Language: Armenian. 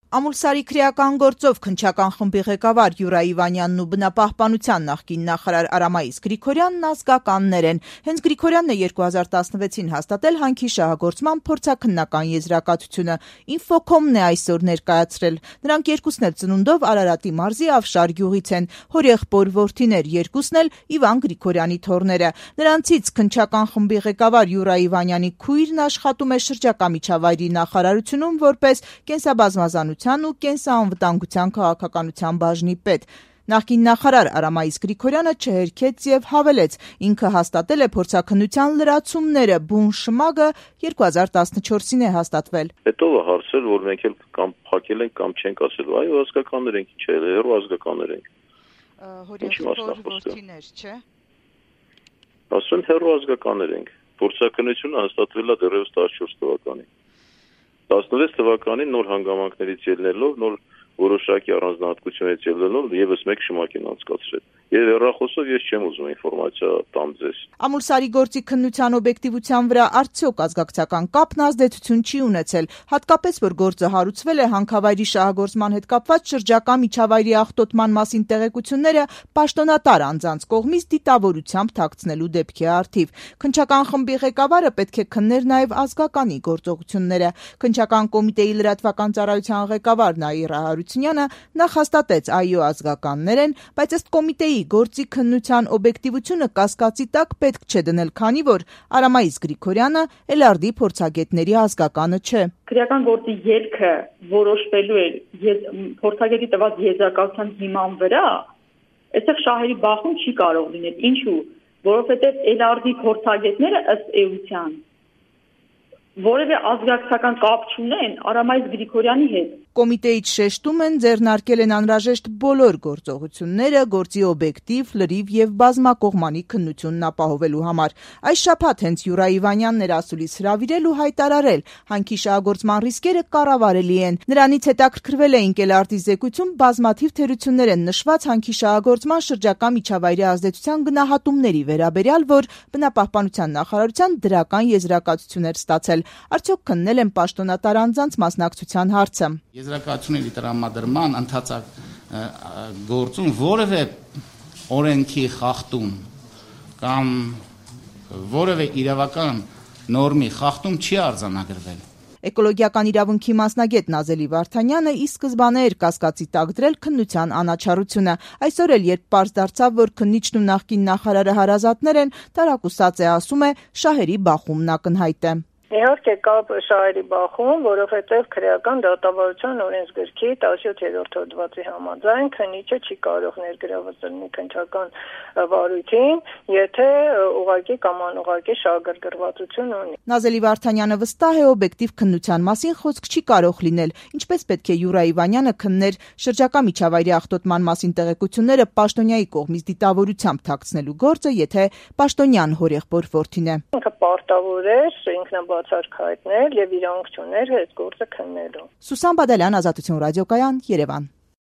Ամուլսարի քրեական գործով քննչական խմբի ղեկավար Յուրա Իվանյանն ու բնապահպանության նախկին նախարար Արամայիս Գրիգորյանն ազգականներ են։ Հենց Գրիգորյանն է 2016-ին հաստատել հանքի շահագործման փորձաքննական եզրակացությունը։ Ինֆոկոմն է այսօր ներկայացրել։ Նրանք երկուսն էլ ծնունդով Արարատի մարզի Ավշար գյուղից են։ Հորեղբոր որդիներ, երկուսն էլ Իվան Գրիգորյանի թոռները։ Նրանցից քննչական խմբի ղեկավար Յուրա Իվանյանի քույրն աշխատում է շրջակա միջավայրի նախարարությունում որպես կենսաբազմազանության ու կենսաանվտանգության քաղաքականության բաժնի պետ։ Նախկին նախարար Արամայիս Գրիգորյանը չհերքեց եւ հավելեց, ինքը հաստատել է փորձաքննության լրացումները, բուն շմագը 2014-ին է հաստատվել։ Հետո հարցել, որ մենք էլ կամ փակել ենք կամ չենք ասել, այո, ազգականներ ենք, ինչ է, հերո ազգականներ ենք։ Հորեղբոր որդիներ, չէ՞։ Ասում հերո ազգականներ ենք։ Փորձաքննությունը հաստատվել է դեռևս 14 թվականին։ 16 թվականին նոր հանգամանքներից ելնելով, նոր որոշակի առանձնահատկություններից ելնելով եւս մեկ շմակ են անցկացրել։ Եվ հեռախոսով ես չեմ ուզում ինֆորմացիա տամ ձեզ։ Ամուլսարի գործի քննության օբյեկտիվության վրա արդյոք ազգակցական կապն ազդեցություն չի ունեցել, հատկապես որ գործը հարուցվել է հանքավայրի շահագործման հետ կապված շրջակա միջավայրի աղտոտման մասին տեղեկությունները պաշտոնատար անձանց կողմից դիտավորությամբ թաքցնելու դեպքի առթիվ։ Քննչական խմբի ղեկավարը պետք է քններ նաև ազգականի գործողությունները։ Քննչական կոմիտեի լրատվական ծառայության ղեկավար Նաիրա Հարությունյանը նախ հաստատեց այո ազգականներ են, բայց ըստ կոմիտեի գործի քննության օբյեկտիվությունը կասկածի տակ պետք չէ դնել, քանի որ Արամայիս Գրիգորյանը Էլարդի փորձագետների ազգականը չէ։ Քրեական գործի ելքը որոշվելու է փորձագետի տված եզրակացության հիման վրա, այստեղ շահերի բախում չի կարող լինել։ Ինչու՞։ Որովհետև Էլարդի փորձագետները ըստ էության որևէ ազգակցական կապ չունեն Արամայիս Գրիգորյանի հետ։ Կոմիտեից շեշտում են ձեռնարկել են անհրաժեշտ բոլոր գործողությունները գործի օբյեկտիվ, լրիվ եւ բազմակողմանի քննությունն ապահովելու համար։ Այս շաբաթ հենց Յուրա Իվանյանն էր ասուլիս հրավիրել ու հայտարարել, հանքի շահագործման ռիսկերը կառավարելի են։ Նրանից հետաքրքրվել էինք Էլարդի զեկույցում բազմաթիվ թերություններ են նշված հանքի շահագործման շրջակա միջավայրի ազդեցության գնահատումների վերաբերյալ, որ բնապահպանության նախարարության դրական եզրակացություն էր ստացել։ Արդյոք քննել են պաշտոնատար անձանց մասնակցության հարցը։ Եզրակացությունների տրամադրման ընթացակ գործում որևէ օրենքի խախտում կամ որևէ իրավական նորմի խախտում չի արձանագրվել։ Էկոլոգիական իրավունքի մասնագետ Նազելի Վարդանյանը ի սկզբանե էր կասկածի տակ դրել քննության անաչառությունը։ Այսօր էլ երբ պարզ դարձավ, որ քննիչն ու նախկին նախարարը հարազատներ են, տարակուսած է ասում է շահերի բախումն ակնհայտ է։ Իհարկե կա շահերի բախում, որովհետև քրեական դատավարության օրենսգրքի 17-րդ հոդվածի համաձայն քննիչը չի կարող ներգրավել մի քննչական վարույթին, եթե ուղղակի կամ անուղղակի շահագրգռվածություն ունի։ Նազելի Վարդանյանը վստահ է օբյեկտիվ քննության մասին խոսք չի կարող լինել, ինչպես պետք է Յուրա Իվանյանը քններ շրջակա միջավայրի աղտոտման մասին տեղեկությունները պաշտոնյայի կողմից դիտավորությամբ թաքցնելու գործը, եթե պաշտոնյան հորեղբոր որդին է։ Ինքը պարտավոր է ինքնաբացարկ հայտնել եւ իրավունք չուներ այդ գործը քննելու։ Սուսան Բադալյան, Ազատություն ռադիոկայան, Երևան։